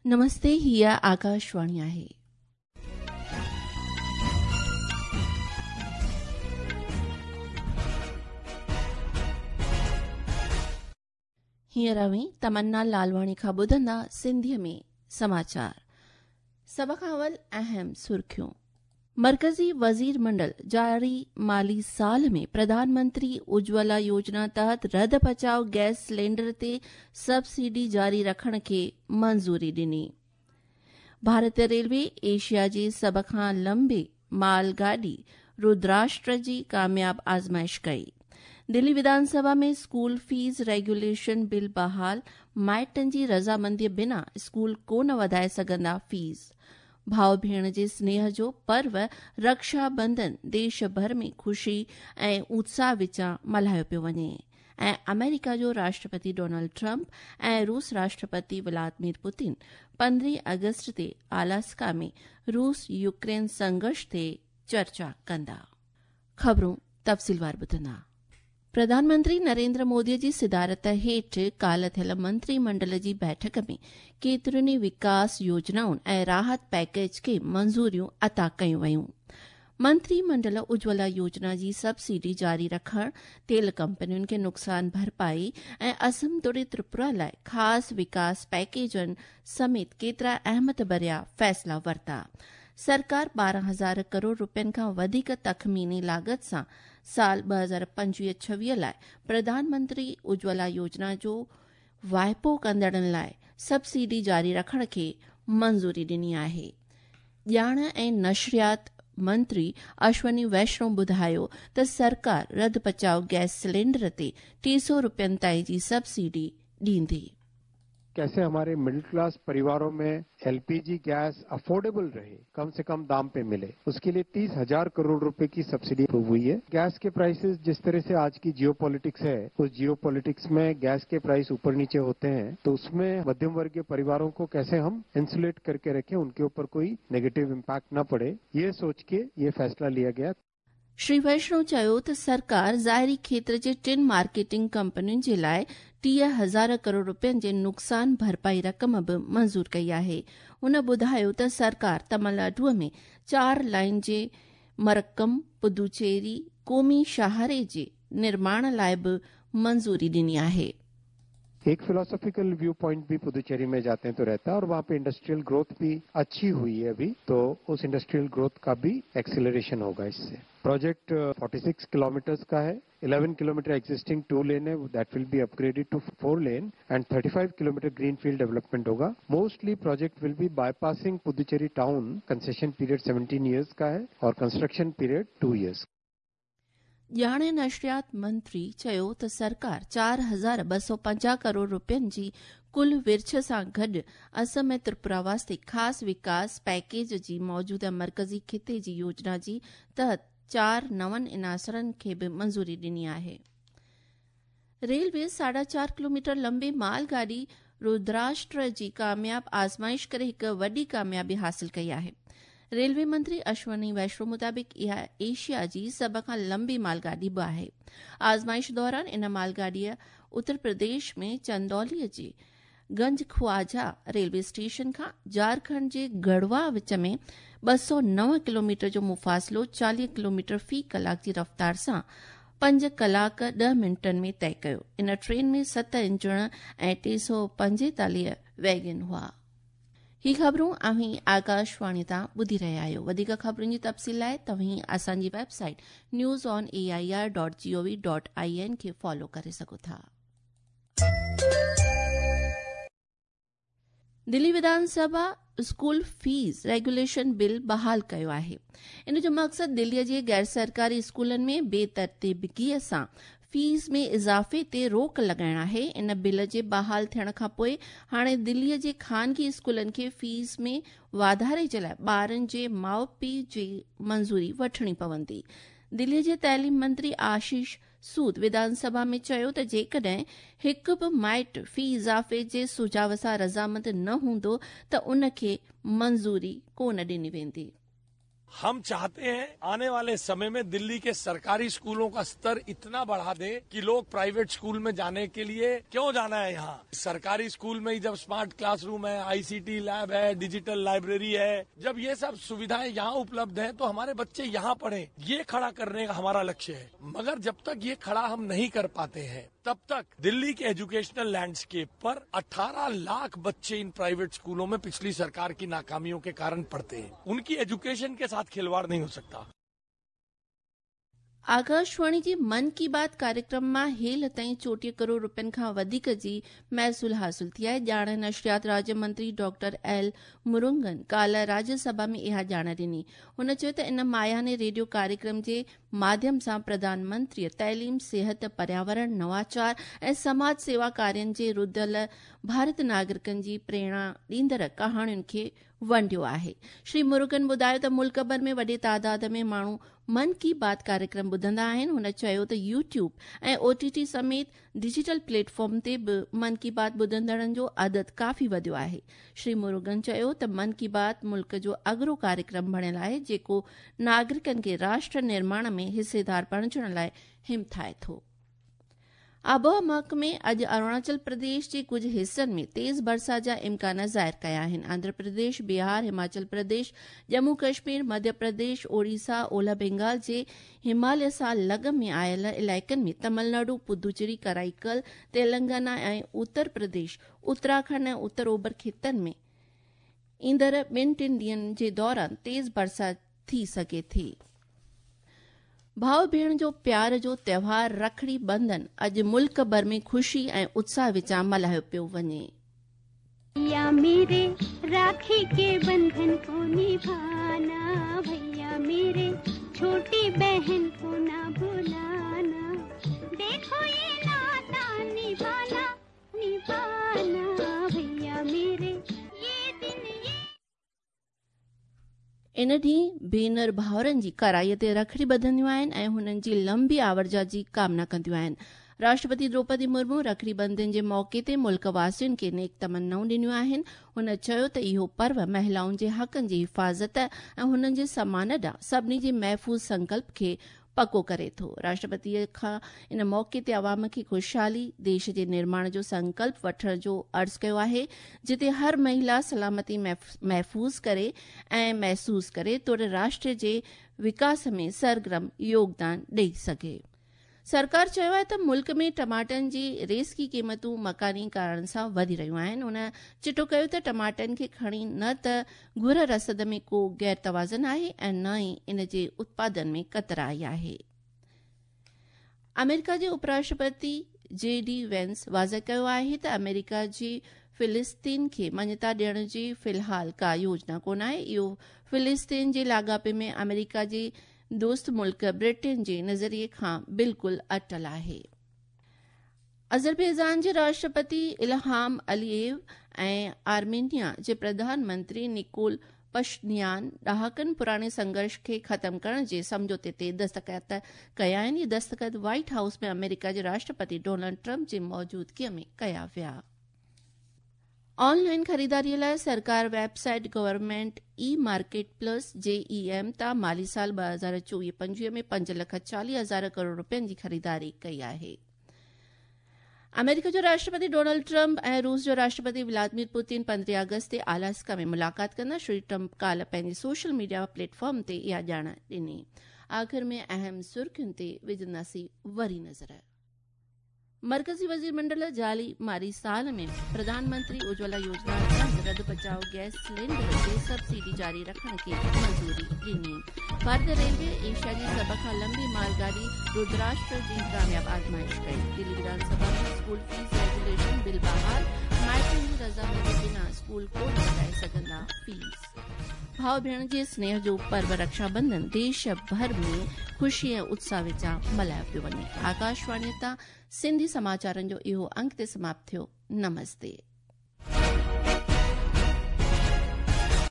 نمستي هيء آڪاشواڻي آهي. هينئر اوهين تمنا لالواڻي کان ٻڌندا سنڌيء ۾ سماچار. سڀ کان اول اهم سرخيون. مرڪزي وزير منڊل جاري مالي سال ۾ پرڌان منتري اجولا يوجنا تحت رڌ پچاء گئس سلينڊر تي سبسڊي جاري رکڻ کي منظوري ڏني. ڀارتي ريلوي ايشيا جي سڀ کان لمبي مال گاڏي رودراشٽر جي ڪامياب آزمائش ڪئي. دلي وڌان سڀا ۾ اسڪول فيس ريگيوليشن بل بحال، مائٽن جي رضامندي بنا اسڪول ڪونه وڌائي سگهندا فيس. ڀاء ڀيڻ جي سنيهه جو پرو رڪشا بنڌن ديش ڀر ۾ خوشي ۽ اتساهه وچان ملهايو پيو وڃي ۽ آمريڪا جو راشٽرپتي ڊونلڊ ٽرمپ ۽ روس راشٽرپتي ولادمير پوتين پندرهين آگسٽ تي آلاسڪا ۾ روس يوڪرين سنگهرش تي چرچا ڪندا. خبرون تفصيلوار ٻڌندا. پرڌان منتري نريندر مودي جي صدارت هيٺ ڪالهه ٿيل منتري منڊل جي بيٺڪ ۾ ڪيترين ئي وڪاس يوجنائن ۽ راحت پيڪيج کي منظوريون عطا ڪيون ويون. منتري منڊل اجولا يوجنا جي سبسڊي جاري رکڻ، تيل ڪمپنين کي نقصان ڀرپائي ۽ اسم توڙي تريپورا لاء خاص وڪاس پيڪيجن سميت ڪيترا اهميت ڀريا فيصلا ورتا. سرڪار 12 هزار ڪروڙ روپين کان وڌيڪ تخميني لاڳت سان سال 2025-26 لاء پرڌان منتري اجولا يوجنا جو واهپو ڪندڙن لاء سبسڊي جاري رکڻ کي منظوري ڏني آهي. ڄاڻ ۽ نشريات منتري اشوني ويشنو ٻڌايو ته سرڪار رڌ پچاء گئس سلينڊر تي 300 روپين تائين جي سبسڊي ڏيندي. कैसे हमारे मिडिल क्लास परिवारों में एलपीजी गैस अफोर्डेबल रहे, कम से कम दाम पे मिले, उसके लिए 30,000 करोड़ रुपए की सब्सिडी अप्रूव हुई है। गैस के प्राइसेस, जिस तरह से आज की जियो पॉलिटिक्स है, उस जियो पॉलिटिक्स में गैस के प्राइस ऊपर नीचे होते हैं, तो उसमें मध्यम वर्गीय परिवारों को कैसे हम इंसुलेट करके रखें, उनके ऊपर कोई नेगेटिव इम्पैक्ट न पड़े, ये सोच के ये फैसला लिया गया। श्री वैष्णव चयो त सरकार ज़ाहिरी खेत्र जे टिनि मार्केटिंग कंपनियुनि जे लाइ 30,000 करोड़ रुपयनि जे नुक़सान भरपाई रक़म बि मंज़ूर कई आहे। हुन ॿुधायो त सरकार तमिलनाडुअ में चार लाइन जे मरक्कम पुदुचेरी क़ौमी शाहरे जे निर्माण लाइ बि मंज़ूरी ॾिनी आहे। एक फिलोसॉफिकल व्यू पॉइंट भी पुदुचेरी में जाते हैं तो रहता है और वहाँ पे इंडस्ट्रियल ग्रोथ भी अच्छी हुई है अभी, तो उस इंडस्ट्रियल ग्रोथ का भी एक्सिलरेशन होगा इससे। प्रोजेक्ट 46 किलोमीटर्स का है। 11 किलोमीटर एग्जिस्टिंग टू लेन है, that will be upgraded to four lane and 35 kilometre green field development होगा। Mostly project will be bypassing Puducherry town। Concession period 17 years का है और कंस्ट्रक्शन पीरियड 2 इयर्स। ڄاڻ नशरियात मंत्री चयो त सरकार 4,250 करोड़ रुपयनि जी कुल विर्छ सां गॾु असम ऐं त्रिपुरा वास्ते ख़ासि विकास पैकेज जी मौजूदा मर्कज़ी ख़िते जी योजना जी तहत चार नवनि इनासरनि खे बि मंज़ूरी ॾिनी आहे। रेलवे 4.5 किलोमीटर लंबी मालगाड़ी रुद्राष्ट्र जी कामयाब आज़माइश करे हिकु वॾी कामयाबी हासिल कई आहे। रेलवे मंत्री अश्वनी वैष्णव मुताबिक़ इहा एशिया जी सभ खां लंबी मालगाॾी बि आहे। आज़माइश दौरान इन मालगाॾीअ उत्तर प्रदेश में चंदौली जे गंज ख्वाजा रेलवे स्टेशन खां झारखंड जे गढ़वा विच में 209 किलोमीटर जो मुफ़ासिलो 40 किलोमीटर फ़ी कलाक जी रफ़्तार सां 5 कलाक 10 मिंटनि में तय कयो। इन ट्रेन में सत इंजण ऐं 345 वैगन हुआ। ही ख़बरूं अव्हीं आकाशवाणी तां ॿुधी रहिया आहियो। वधीक ख़बरुनि जी तफ़सील लाइ तव्हीं असांजी website newsonair.gov.in खे फॉलो करे सघो था। दिल्ली विधानसभा स्कूल फीस रेगुलेशन बिल बहाल कयो आहे। इन जो मक़सदु दिल्लीअ जे गैर सरकारी स्कूलनि में बेतरतीबगीअ सां फीस में इज़ाफ़े ते रोक लॻाइण आहे। इन बिल जे बहाल थियण खां पोइ हाणे दिल्लीअ जे ख़ानगी स्कूलनि खे फीस में वाधारे जे लाइ ॿारनि जे माउ पीउ जी मंज़ूरी वठणी पवंदी। दिल्लीअ जे तालीम मंत्री आशीष सूद विधानसभा में चयो त जेकॾहिं हिकु बि माइट फ़ी इज़ाफ़े जे सुझाव सां रज़ामंद न हूंदो त उन खे मंज़ूरी कोन ॾिनी वेंदी। हम चाहते हैं आने वाले समय में दिल्ली के सरकारी स्कूलों का स्तर इतना बढ़ा दें कि लोग प्राइवेट स्कूल में जाने के लिए क्यों जाना है। यहाँ सरकारी स्कूल में ही जब स्मार्ट क्लासरूम है, आईसीटी लैब है, डिजिटल लाइब्रेरी है, जब ये सब सुविधाएं यहाँ उपलब्ध हैं तो हमारे बच्चे यहाँ पढ़ें, ये खड़ा करने का हमारा लक्ष्य है। मगर जब तक ये खड़ा हम नहीं कर पाते हैं तब तक दिल्ली के एजुकेशनल लैंडस्केप पर 18 लाख बच्चे इन प्राइवेट स्कूलों में पिछली सरकार की नाकामियों के कारण पढ़ते हैं। उनकी एजुकेशन के साथ खिलवाड़ नहीं हो सकता। आकाशवाणी जी मन की बात कार्यक्रम मां हेल ताईं 34 करोड़ रुपयनि खां वधीक जी महसूल हासिल थी आहे। ॼाण नशरियात राज्य मंत्री डॉक्टर एल मुरुगन काल्ह राज्यसभा में इहा ॼाण ॾिनी। हुन चयो त इन मायाने रेडियो कार्यक्रम जे माध्यम सां प्रधानमंत्रीअ तइलीम, सिहत, पर्यावरण, नवाचार ऐं समाज सेवा कार्यनि जे रुधल भारत नागरिकनि जी प्रेरणा ॾींदड़ कहाणियुनि खे वंडियो आहे। श्री मुरुगन ॿुधायो त मुल्क भर में वॾे तादाद में माण्हू मन की बात कार्यक्रम ॿुधंदा आहिनि। हुन चयो त यूट्यूब ऐं ओटीटी समेत डिजिटल प्लेटफॉर्म ते बि मन की बात ॿुधंदड़नि जो अदद काफ़ी वधियो आहे। श्री मुरुगन चयो त मन की बात मुल्क जो अग्रो कार्यक्रम बणियल आहे, जेको नागरिकनि खे राष्ट्र निर्माण में हिस्सेदार बणिजण लाइ हिमथाए थो। आबहावा महकमे अॼु अरुणाचल प्रदेश जे कुझु हिसनि में तेज़ बरसाति जा इम्कान ज़ाहिर कया आहिनि। आंध्र प्रदेश, बिहार, हिमाचल प्रदेश, जम्मू कश्मीर, मध्य प्रदेश, ओडिशा, ओलह बंगाल जे हिमालय सां लॻ में आयल इलाइक़नि में तमिलनाडु, पुदुचेरी, कराईकल, तेलंगाना ऐं उत्तर प्रदेश, उत्तराखंड ऐं उत्तर ओभर ख़ितनि में ईंदड़ ॿिनि टिनि ॾींहंनि जे दौरान तेज़ बरसाति थी सघे थी। भाउ भेण जो प्यार जो त्योहार रखड़ी बंधन अॼु मुल्क भर में ख़ुशी ऐं उत्साह विचां मल्हायो पियो वञे। भैया मेरे राखी के बंधन को निभाना, भैया मेरे छोटी बहन को ना भुलाना, देखो ये नाता निभाना निभाना, भैया मेरे ये दिन ये। इन ॾींहुं भेनर भाउरनि जी कराईअ ते रखड़ी ॿधंदियूं आहिनि ऐं हुननि जी लंबी आवरजा जी कामना कंदियूं आहिनि। राष्ट्रपति द्रौपदी मुर्मू रखड़ी बंधन जे मौक़े ते मुल्क वासियुनि खे नेक तमन्नाऊं ॾिनियूं आहिनि। हुन चयो त इहो पर्व महिलाउनि जे हक़नि जी हिफ़ाज़त ऐं हुननि जे सम्मान ॾांहुं सभिनी जे महफ़ूज़ संकल्प खे पको करे थो। राष्ट्रपतीअ खां इन मौक़े ते अवाम खे ख़ुशहाली, देश जे निर्माण जो संकल्प वठण जो अर्ज़ कयो आहे, जिते हर महिला सलामती महफ़ूज़ करे ऐं महसूस करे, तोड़े राष्ट्र जे विकास में सरगर्म योगदान ॾेई सघे। सरकार चयो आहे त मुल्क में टमाटनि जी रेसकी क़ीमतूं मकानी कारणनि सां वधी रहियूं आहिनि। हुन चिटो कयो त टमाटनि खे खणी न त घुर रसद में को गैर तवाज़न आहे ऐं न ई इन जे उत्पादन में कतर आई आहे। अमेरिका जे उपराष्ट्रपति जे डी वेंस वाज़े कयो आहे त अमेरिका जी फिलिस्तीन खे मान्यता ॾियण जी फ़िलहाल का योजना कोन आहे। इहो फिलिस्तीन जे लाॻापे में अमेरिका जे दोस्त मुल्क ब्रिटेन जे नज़रिए खां बिल्कुलु अटल आहे। अज़रबैजान जे राष्ट्रपति इल्हाम अलीएव ऐं आर्मेनिया जे प्रधानमंत्री निकोल पशनियान ॾहाकनि पुराणे संघर्ष खे ख़त्म करण जे सम्झौते ते दस्तख़त कया आहिनि। इहे दस्तख़त व्हाइट हाउस में अमेरिका जे राष्ट्रपति डोनाल्ड ट्रंप जी मौजूदगीअ में कया विया। ऑनलाइन ख़रीदारीअ लाइ सरकार website government e market plus JEM तां माली साल 2024-25 में 5,40,000 करोड़ रुपयनि जी ख़रीदारी कई आहे। अमेरिका जो राष्ट्रपति डोनाल्ड ट्रंप ऐं रूस जो राष्ट्रपति व्लादिमीर पुतिन 15 अगस्त ते अलास्का में मुलाक़ात कंदा। श्री ट्रंप काल्ह पंहिंजे सोशल मीडिया प्लेटफॉर्म ते इहा ॼाण ॾिनी। आख़िर में अहम सुर्खियुनि ते विझंदासीं वरी नज़र। मरकज़ी वज़ीर मंडल जाली मारी साल में प्रधानमंत्री उज्ज्वला योजना तहत रद्द बचाओ गैस सिलेंडर ते सब्सिडी जारी रखण खे मंज़ूरी ॾिनी। भारतीय रेलवे एशिया जी सभ खां लंबी मालगाड़ी रुद्राष्ट्र जी कामयाब आज़माइश कई। दिल्ली विधानसभा में स्कूल फीस रेगुलेशन बिल बहाल, माइटनि जी रज़ामंदी बिना स्कूल कोन वधाए सघंदा फीस। भाउ भेण जे स्नेह जो पर्व रक्षाबंधन देश भर में ख़ुशी ऐं उत्साह विचां मल्हायो पियो वञे। आकाशवाणी तां सिंधी समाचारनि जो इहो अंक ते समाप्त थियो। नमस्ते।